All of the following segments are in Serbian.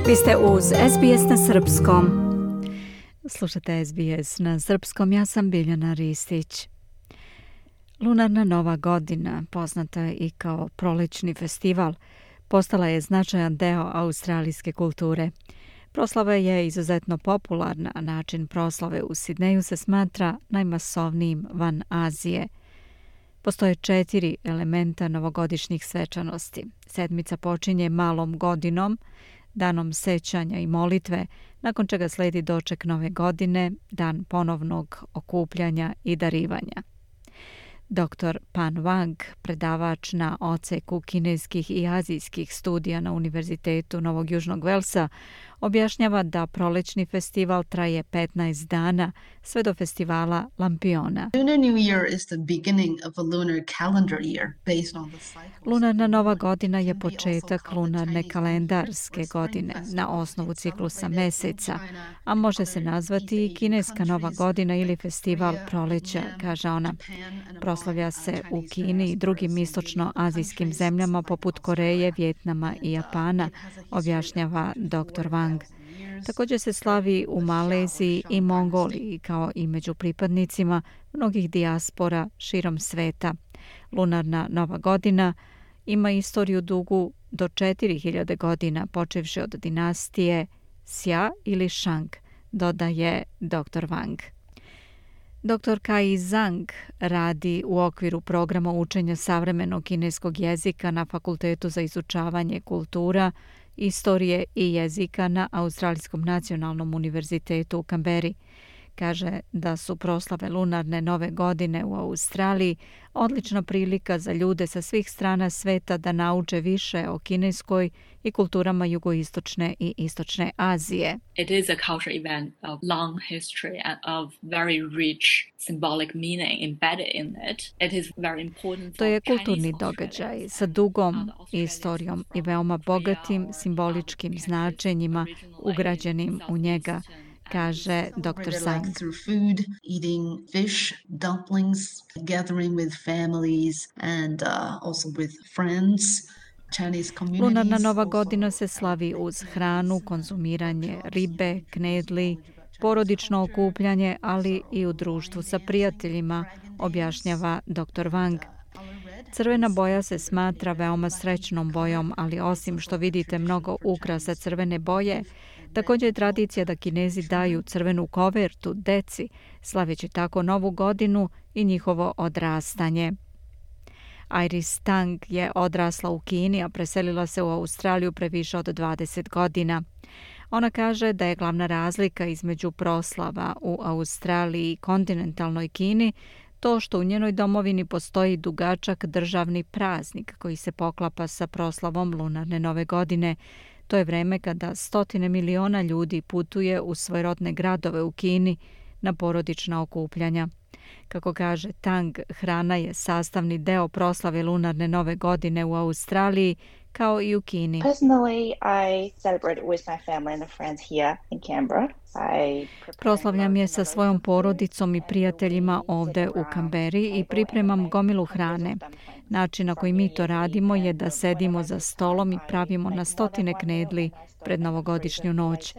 Vi ste uz SBS na srpskom. Slušate SBS na srpskom, ja sam Biljana Ristić. Lunarna Nova godina, poznata i kao prolećni festival, postala je značajan deo australijske kulture. Proslava je izuzetno popularna, a način proslave u Sidneju se smatra najmasovnijim van Azije. Postoje 4 elementa novogodišnjih svečanosti. Sedmica počinje malom godinom, danom sećanja i molitve, nakon čega sledi doček nove godine, dan ponovnog okupljanja i darivanja. Dr. Pan Wang, predavač na odseku kineskih i azijskih studija na Univerzitetu Novog Južnog Velsa, objašnjava da prolećni festival traje 15 dana, sve do festivala Lampiona. Lunarna Nova godina je početak lunarne kalendarske godine na osnovu ciklusa meseca, a može se nazvati i kineska Nova godina ili festival proleća, kaže ona. Proslavlja se u Kini i drugim istočno-azijskim zemljama poput Koreje, Vijetnama i Japana, objašnjava dr. Wang. Također se slavi u Maleziji i Mongoliji, kao i među pripadnicima mnogih dijaspora širom sveta. Lunarna Nova godina ima istoriju dugu do 4000 godina, počevši od dinastije Xia ili Shang, dodaje dr. Wang. Dr. Kai Zhang radi u okviru programa učenja savremenog kineskog jezika na Fakultetu za izučavanje kultura, istorije i jezika na Australijskom nacionalnom univerzitetu u Kamberi. Kaže da su proslave lunarne nove godine u Australiji odlična prilika za ljude sa svih strana sveta da nauče više o kineskoj i kulturama jugoistočne i istočne Azije. It is a cultural event of long history and of very rich symbolic meaning embedded in it. It is very important. To je kulturni događaj sa dugom istorijom i veoma bogatim simboličkim značenjima ugrađenim u njega, kaže dr. Zhang. Eating fish, dumplings, gathering with families and also with friends. Lunarna Nova godina se slavi uz hranu, konzumiranje ribe, knedli, porodično okupljanje, ali i u društvu sa prijateljima, objašnjava dr. Wang. Crvena boja se smatra veoma srećnom bojom, ali osim što vidite mnogo ukrasa crvene boje, također je tradicija da Kinezi daju crvenu kovertu deci, slaveći tako novu godinu i njihovo odrastanje. Iris Tang je odrasla u Kini, a preselila se u Australiju pre više od 20 godina. Ona kaže da je glavna razlika između proslava u Australiji i kontinentalnoj Kini to što u njenoj domovini postoji dugačak državni praznik koji se poklapa sa proslavom lunarne nove godine. To je vreme kada stotine miliona ljudi putuje u svoje rodne gradove u Kini na porodična okupljanja. Kako kaže Tang, hrana je sastavni deo proslave lunarne nove godine u Australiji kao i u Kini. Personally, I celebrate it with my family and friends here in Canberra. Proslavljam je sa svojom porodicom i prijateljima ovde u Kamberi i pripremam gomilu hrane. Način na koji mi to radimo je da sedimo za stolom i pravimo na stotine knedli pred novogodišnju noć.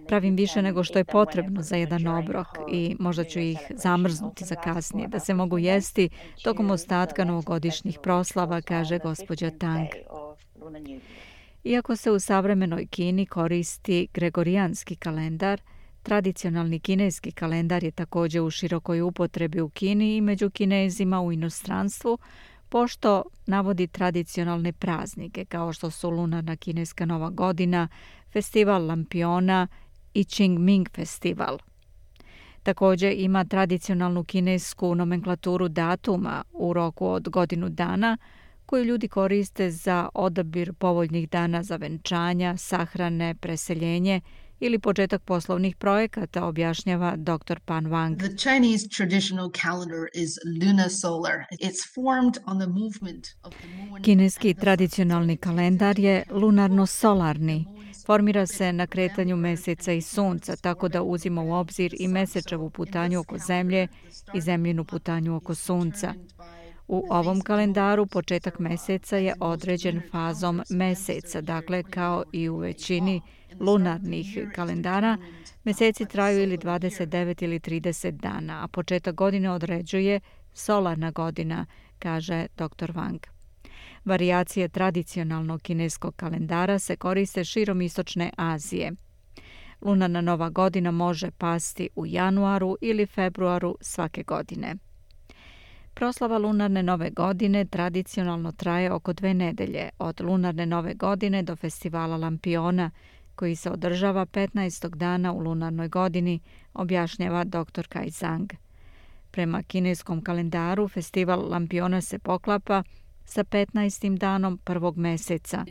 Pravim više nego što je potrebno za jedan obrok i možda ću ih zamrznuti za kasnije, da se mogu jesti tokom ostatka novogodišnjih proslava, kaže gospođa Tang. Iako se u savremenoj Kini koristi gregorijanski kalendar, tradicionalni kineski kalendar je također u širokoj upotrebi u Kini i među Kinezima u inostranstvu, pošto navodi tradicionalne praznike kao što su lunarna kineska nova godina, festival Lampiona i Qingming festival. Također ima tradicionalnu kinesku nomenklaturu datuma u roku od godinu dana koju ljudi koriste za odabir povoljnih dana za venčanja, sahrane, preseljenje ili početak poslovnih projekata, objašnjava dr. Pan Wang. The Chinese traditional calendar is lunar-solar. It's formed on the movement of the moon. Kineski tradicionalni kalendar je lunarno-solarni. Formira se na kretanju meseca i sunca, tako da uzima u obzir i mesečevu putanju oko zemlje i zemljinu putanju oko sunca. U ovom kalendaru početak meseca je određen fazom meseca, dakle kao i u većini lunarnih kalendara, meseci traju ili 29 ili 30 dana, a početak godine određuje solarna godina, kaže dr. Wang. Varijacije tradicionalnog kineskog kalendara se koriste širom istočne Azije. Lunarna nova godina može pasti u januaru ili februaru svake godine. Proslava lunarne nove godine tradicionalno traje oko 2 nedelje, od lunarne nove godine do festivala lampiona, koji se održava 15. dana u lunarnoj godini, objašnjava dr. Kai Zhang. Prema kineskom kalendaru, festival lampiona se poklapa sa 15. danom prvog meseca.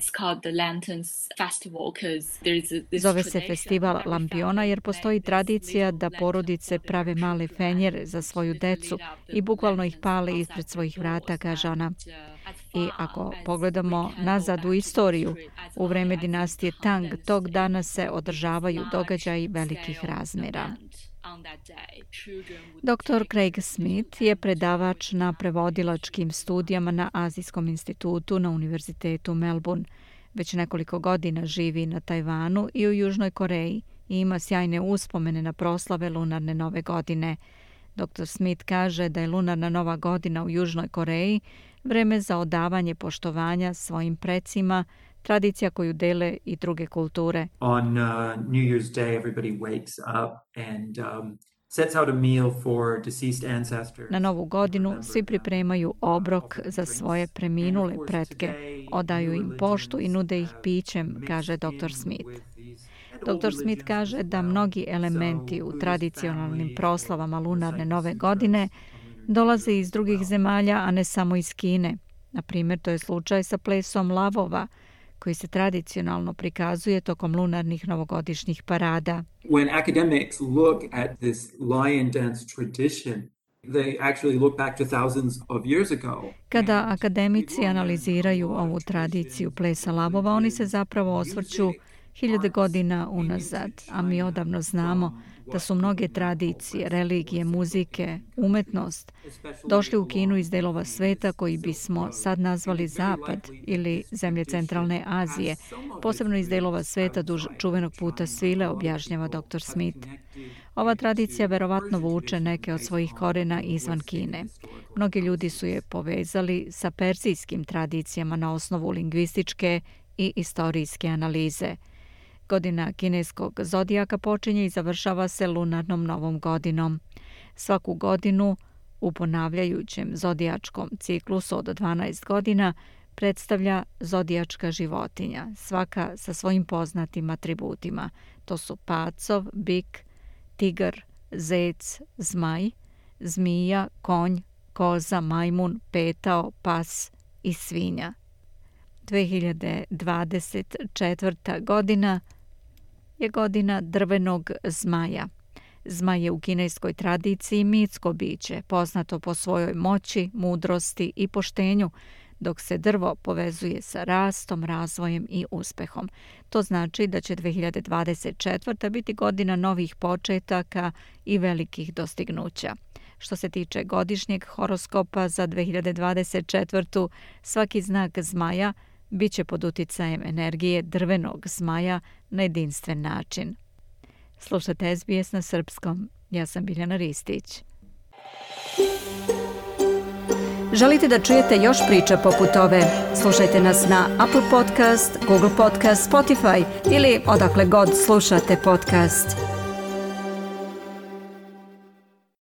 Zove se festival lampiona jer postoji tradicija da porodice prave male fenjere za svoju decu i bukvalno ih pale ispred svojih vrata, kaže ona. I ako pogledamo nazad u istoriju, u vreme dinastije Tang, tog dana se održavaju događaji velikih razmjera. Dr. Craig Smith je predavač na prevodilačkim studijama na Azijskom institutu na Univerzitetu Melbourne. Već nekoliko godina živi na Tajvanu i u Južnoj Koreji i ima sjajne uspomene na proslave lunarne nove godine. Dr. Smith kaže da je lunarna nova godina u Južnoj Koreji vreme za odavanje poštovanja svojim precima, tradicija koju dele i druge kulture. On New Year's Day everybody wakes up and sets out a meal for deceased ancestors. Na novu godinu svi pripremaju obrok za svoje preminule pretke, odaju im poštu i nude ih pićem, kaže dr. Smith. Dr. Smith kaže da mnogi elementi u tradicionalnim proslavama lunarne nove godine dolaze iz drugih zemalja, a ne samo iz Kine. Na primjer, to je slučaj sa plesom lavova, koji se tradicionalno prikazuje tokom lunarnih novogodišnjih parada. When academics look at this lion dance tradition, they actually look back to thousands of years ago. Kada akademici analiziraju ovu tradiciju plesa lavova, oni se zapravo osvrću 1000 godina unazad, a mi odavno znamo da su mnoge tradicije, religije, muzike, umetnost došli u Kinu iz delova sveta koji bismo sad nazvali Zapad ili zemlje centralne Azije, posebno iz delova sveta duž čuvenog puta svile, objašnjava dr. Smith. Ova tradicija verovatno vuče neke od svojih korena izvan Kine. Mnogi ljudi su je povezali sa perzijskim tradicijama na osnovu lingvističke i istorijske analize. Godina kineskog zodijaka počinje i završava se lunarnom novom godinom. Svaku godinu u ponavljajućem zodijačkom ciklusu od 12 godina predstavlja zodijačka životinja, svaka sa svojim poznatim atributima. To su pacov, bik, tigar, zec, zmaj, zmija, konj, koza, majmun, petao, pas i svinja. 2024. godina je godina drvenog zmaja. Zmaj je u kineskoj tradiciji mitsko biće, poznato po svojoj moći, mudrosti i poštenju, dok se drvo povezuje sa rastom, razvojem i uspehom. To znači da će 2024. biti godina novih početaka i velikih dostignuća. Što se tiče godišnjeg horoskopa za 2024. svaki znak zmaja bit će pod uticajem energije drvenog zmaja na jedinstven način. Slušate SBS na srpskom. Ja sam Biljana Ristić. Želite da čujete još priča poput ove? Slušajte nas na Apple Podcast, Google Podcast, Spotify ili odakle god slušate podcast.